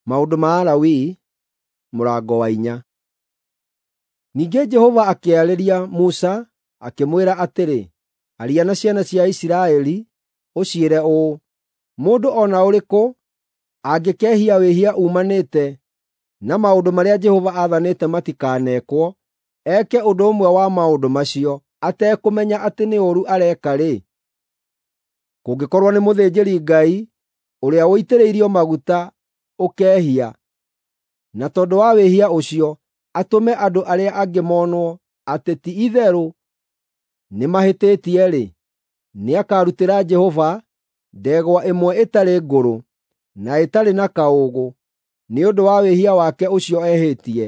Maũndũ ma Alawii mũrango wa 4. Ningĩ Jehova akĩarĩria Musa, akĩmwĩra atĩrĩ, “Aria na ciana cia Isiraeli, ũciĩre ũũ: Mũndũ o na ũrĩkũ angĩkehia wĩhia uumanĩte na maũndũ marĩa Jehova aathanĩte matikanekwo, eke ũndũ ũmwe wa maũndũ macio atekũmenya atĩ nĩ ũũru areka-rĩ, kũngĩkorwo nĩ mũthĩnjĩri-Ngai ũrĩa ũitĩrĩirio maguta ũkehia, na tondũ wa wĩhia ũcio atũme andũ arĩa angĩ monwo atĩ ti-itherũ nĩmahĩtĩtie-rĩ, nĩakarutĩra Jehova ndegwa ĩmwe ĩtarĩ ngũrũ na ĩtarĩ na kaũũgũ nĩ ũndũ wa wĩhia wake ũcio ehĩtie,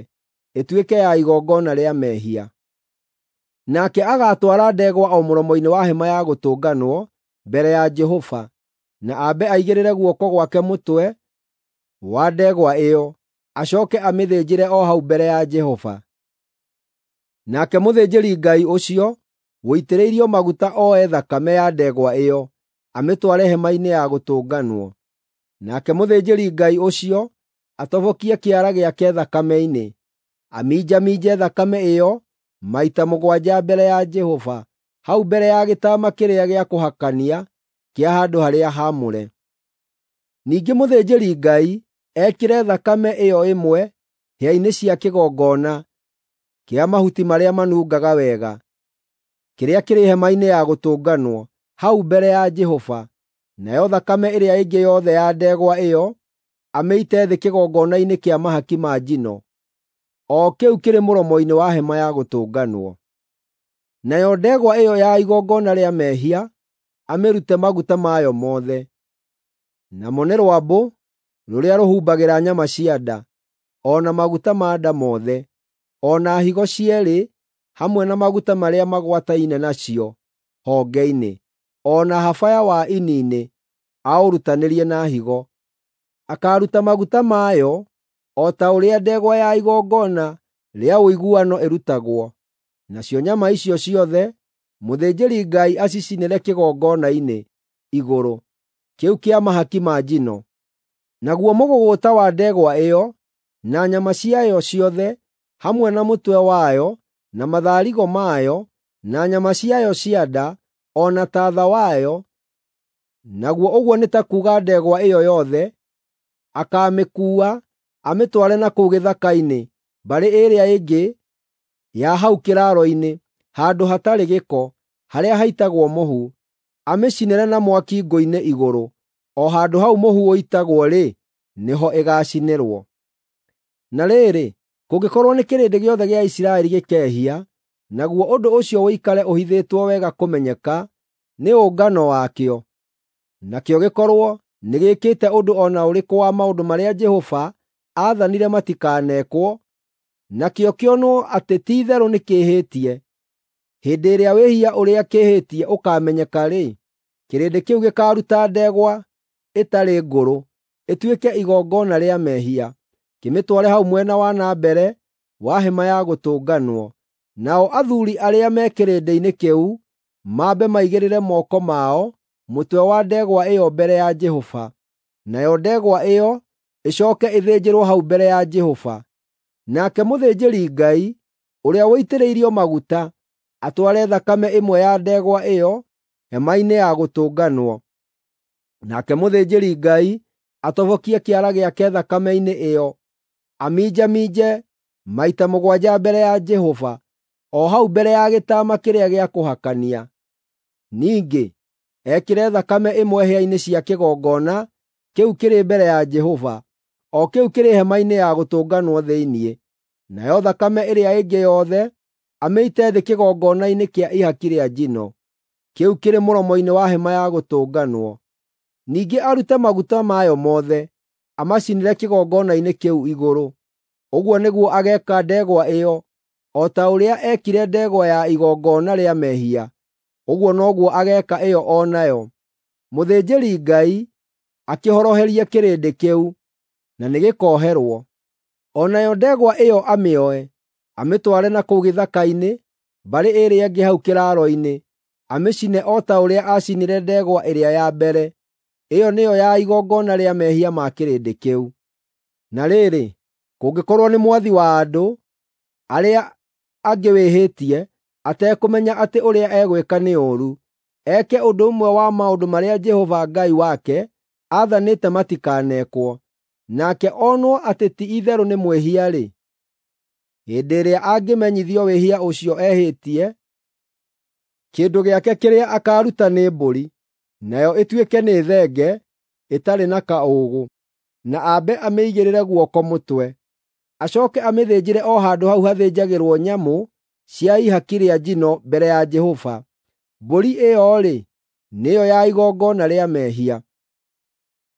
ĩtuĩke ya igongona rĩa mehia. Nake agaatwara ndegwa o mũromo-inĩ wa Hema-ya Gũtũnganwo mbere ya Jehova, na ambe aigĩrĩre guoko gwake mũtwe wa ndegwa ĩyo, acooke amĩthĩnjĩre o hau mbere ya Jehova. Nake mũthĩnjĩri-Ngai ũcio ũitĩrĩirio maguta oe thakame ya ndegwa ĩyo, amĩtware Hema-inĩ ya Gũtũnganwo. Nake mũthĩnjĩri-Ngai ũcio atobokie kĩara gĩake thakame-inĩ, aminjaminje thakame ĩyo maita mũgwanja mbere ya Jehova, hau mbere ya gĩtama kĩrĩa gĩa kũhakania kĩa handũ-harĩa-haamũre. Ningĩ mũthĩnjĩri-Ngai ekĩre thakame ĩyo ĩmwe hĩa-inĩ cia kĩgongona kĩa mahuti marĩa manungaga wega, kĩrĩa kĩrĩ Hema-inĩ ya Gũtũnganwo hau mbere ya Jehova, nayo thakame ĩrĩa ĩngĩ yothe ya ndegwa ĩyo amĩite thĩ kĩgongona-inĩ kĩa mahaki ma njino, o kĩu kĩrĩ mũromo-inĩ wa Hema-ya Gũtũnganwo. Nayo ndegwa ĩyo ya igongona rĩa mehia amĩrute maguta mayo mothe, namo nĩ rwambũ rũrĩa rũhumbagĩra nyama cia nda, o na maguta ma nda mothe, o na higo cierĩ hamwe na maguta marĩa magwataine nacio honge-inĩ, o na habaya wa ini-inĩ aũrutanĩrie na higo. Akaaruta maguta mayo o ta ũrĩa ndegwa ya igongona rĩa ũiguano ĩrutagwo, nacio nyama icio ciothe mũthĩnjĩri-Ngai acicinĩre kĩgongona-inĩ igũrũ, kĩu kĩa mahaki ma njino. Naguo mũgũgũta wa ndegwa ĩyo, na nyama ciayo ciothe, hamwe na mũtwe wayo, na matharigo mayo, na nyama ciayo cia nda, o na taatha wayo, naguo ũguo nĩ ta kuuga ndegwa ĩyo yothe, akaamĩkuua amĩtware na kũu gĩthaka-inĩ mbarĩ ĩrĩa ĩngĩ ya hau kĩraaro-inĩ, handũ hatarĩ gĩko, harĩa haitagwo mũhu, amĩcinĩre na mwaki ngũ-inĩ igũrũ. O handũ hau mũhu ũitagwo-rĩ, nĩho ĩgaacinĩrwo. Na rĩrĩ, kũngĩkorwo nĩ kĩrĩndĩ gĩothe gĩa Isiraeli gĩkehia, naguo ũndũ ũcio ũikare ũhithĩtwo wega kũmenyeka nĩ ũngano wakĩo, nakĩo gĩkorwo nĩgĩĩkĩte ũndũ o na ũrĩkũ wa maũndũ marĩa Jehova aathanire matikanekwo, nakĩo kĩonwo atĩ ti-itherũ nĩkĩĩhĩtie, hĩndĩ ĩrĩa wĩhia ũrĩa kĩĩhĩtie ũkaamenyeka-rĩ, kĩrĩndĩ kĩu gĩkaaruta ndegwa ĩtarĩ ngũrũ ĩtuĩke igongona rĩa mehia, kĩmĩtware hau mwena wa na mbere wa Hema-ya Gũtũnganwo. Nao athuuri arĩa me kĩrĩndĩ-inĩ kĩu mambe maigĩrĩre moko mao mũtwe wa ndegwa ĩyo mbere ya Jehova, nayo ndegwa ĩyo ĩcooke ĩthĩnjĩrwo hau mbere ya Jehova. Nake mũthĩnjĩri-Ngai ũrĩa ũitĩrĩirio maguta atware thakame ĩmwe ya ndegwa ĩyo Hema-inĩ ya Gũtũnganwo. Nake mũthĩnjĩri-Ngai atobokie kĩara gĩake thakame-inĩ ĩyo, aminjaminje maita mũgwanja mbere ya Jehova, o hau mbere ya gĩtama kĩrĩa gĩa kũhakania. Ningĩ ekĩre thakame ĩmwe hĩa-inĩ cia kĩgongona kĩu kĩrĩ mbere ya Jehova, o kĩu kĩrĩ Hema-inĩ ya Gũtũnganwo thĩinĩ, nayo thakame ĩrĩa ĩngĩ yothe amĩite thĩ kĩgongona-inĩ kĩa ihaki rĩa njino, kĩu kĩrĩ mũromo-inĩ wa Hema-ya Gũtũnganwo. Ningĩ arute maguta mayo mothe, amacinĩre kĩgongona-inĩ kĩu igũrũ. Ũguo nĩguo ageeka ndegwa ĩyo, o ta ũrĩa eekire ndegwa ya igongona rĩa mehia, ũguo noguo ageeka ĩyo o nayo. Mũthĩnjĩri-Ngai akĩhoroherie kĩrĩndĩ kĩu, na nĩgĩkoherwo. O nayo ndegwa ĩyo amĩoe, amĩtware na kũu gĩthaka-inĩ mbarĩ ĩrĩa ĩngĩ hau kĩraaro-inĩ, amĩcine o ta ũrĩa aacinire ndegwa ĩrĩa ya mbere. Ĩyo nĩyo ya igongona rĩa mehia ma kĩrĩndĩ kĩu. Na rĩrĩ, kũngĩkorwo nĩ mwathi wa andũ arĩa angĩ wĩhĩtie, atekũmenya atĩ ũrĩa egwĩka nĩ ũũru, eke ũndũ ũmwe wa maũndũ marĩa Jehova Ngai wake aathanĩte matikanekwo, nake onwo atĩ ti-itherũ nĩ mwĩhia-rĩ, hĩndĩ ĩrĩa angĩmenyithio wĩhia ũcio ehĩtie, kĩndũ gĩake kĩrĩa akaaruta nĩ mbũri, nayo ĩtuĩke nĩ thenge ĩtarĩ na kaũũgũ, na ambe amĩigĩrĩre guoko mũtwe. Acooke amĩthĩnjĩre o handũ hau hathĩnjagĩrwo nyamũ cia ihaki rĩa njino mbere ya Jehova. Mbũri ĩyo-rĩ, nĩyo ya igongona rĩa mehia.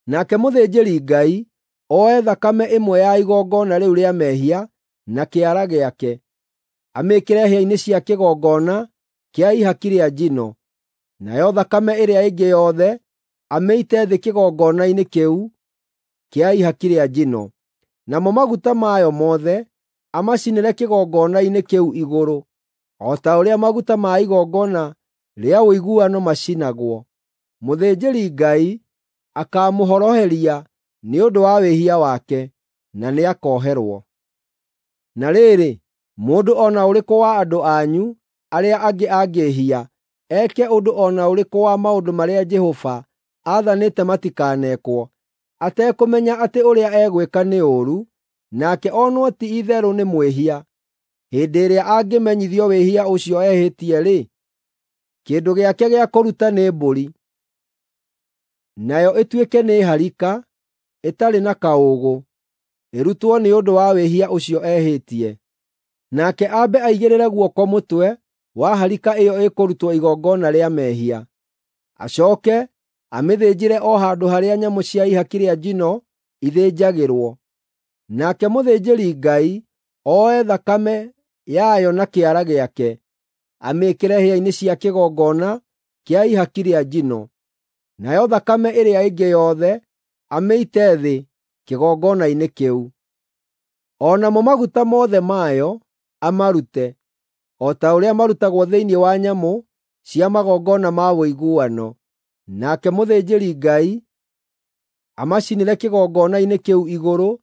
Nake mũthĩnjĩri-Ngai oe thakame ĩmwe ya igongona rĩu rĩa mehia na kĩara gĩake, amĩĩkĩre hĩa-inĩ cia kĩgongona kĩa ihaki rĩa njino, nayo thakame ĩrĩa ĩngĩ yothe amĩite thĩ kĩgongona-inĩ kĩu kĩa ihaki rĩa njino. Namo maguta mayo mothe amacinĩre kĩgongona-inĩ kĩu igũrũ, o ta ũrĩa maguta ma igongona rĩa ũiguano macinagwo. Mũthĩnjĩri-Ngai akaamũhoroheria nĩ ũndũ wa wĩhia wake, na nĩakoherwo. Na rĩrĩ, mũndũ o na ũrĩkũ wa andũ anyu arĩa angĩ angĩĩhia, eke ũndũ o na ũrĩkũ wa maũndũ marĩa Jehova aathanĩte matikanekwo, atekũmenya atĩ ũrĩa egwĩka nĩ ũũru, nake onwo ti-itherũ nĩ mwĩhia, hĩndĩ ĩrĩa angĩmenyithio wĩhia ũcio ehĩtie-rĩ, kĩndũ gĩake gĩa kũruta nĩ mbũri, nayo ĩtuĩke nĩ harika ĩtarĩ na kaũũgũ, ĩrutwo nĩ ũndũ wa wĩhia ũcio ehĩtie. Nake ambe aigĩrĩre guoko mũtwe wa harika ĩyo ĩkũrutwo igongona rĩa mehia. Acooke amĩthĩnjĩre o handũ harĩa nyamũ cia ihaki rĩa njino ithĩnjagĩrwo. Nake mũthĩnjĩri-Ngai oe thakame yayo na kĩara gĩake, amĩĩkĩre hĩa-inĩ cia kĩgongona kĩa ihaki rĩa njino, nayo thakame ĩrĩa ĩngĩ yothe amĩite thĩ kĩgongona-inĩ kĩu. O namo maguta mothe mayo amarute, o ta ũrĩa marutagwo thĩinĩ wa nyamũ cia magongona ma ũiguano. Nake mũthĩnjĩri-Ngai amacinĩre kĩgongona-inĩ kĩu igũrũ,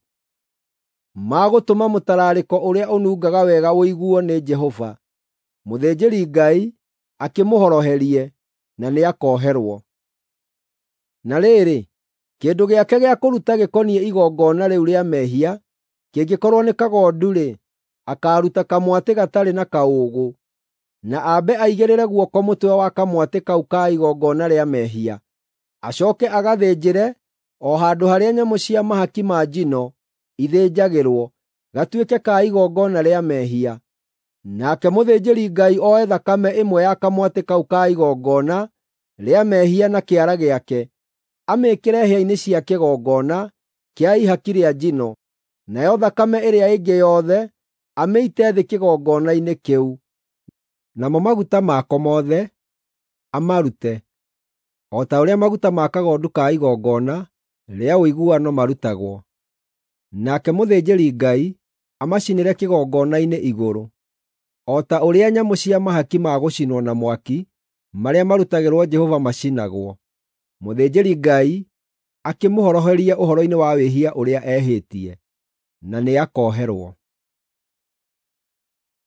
ma gũtũma mũtararĩko ũrĩa ũnungaga wega ũiguo nĩ Jehova. Mũthĩnjĩri-Ngai akĩmũhoroherie, na nĩakoherwo. Na rĩrĩ, kĩndũ gĩake gĩa kũruta gĩkoniĩ igongona rĩu rĩa mehia kĩngĩkorwo nĩ kagondu-rĩ, akaaruta kamwatĩ gatarĩ na kaũũgũ, na ambe aigĩrĩre guoko mũtwe wa kamwatĩ kau ka igongona rĩa mehia. Acooke agathĩnjĩre o handũ harĩa nyamũ cia mahaki ma njino ithĩnjagĩrwo, gatuĩke ka igongona rĩa mehia. Nake mũthĩnjĩri-Ngai oe thakame ĩmwe ya kamwatĩ kau ka igongona rĩa mehia na kĩara gĩake, amĩĩkĩre hĩa-inĩ cia kĩgongona kĩa ihaki rĩa njino, nayo thakame ĩrĩa ĩngĩ yothe amĩite thĩ kĩgongona-inĩ kĩu. Namo maguta mako mothe amarute, o ta ũrĩa maguta ma kagondu ka igongona rĩa ũiguano marutagwo. Nake mũthĩnjĩri-Ngai amacinĩre kĩgongona-inĩ igũrũ, o ta ũrĩa nyamũ cia mahaki ma gũcinwo na mwaki marĩa marutagĩrwo Jehova macinagwo. Mũthĩnjĩri-Ngai akĩmũhoroherie ũhoro-inĩ wa wĩhia ũrĩa ehĩtie, na nĩakoherwo.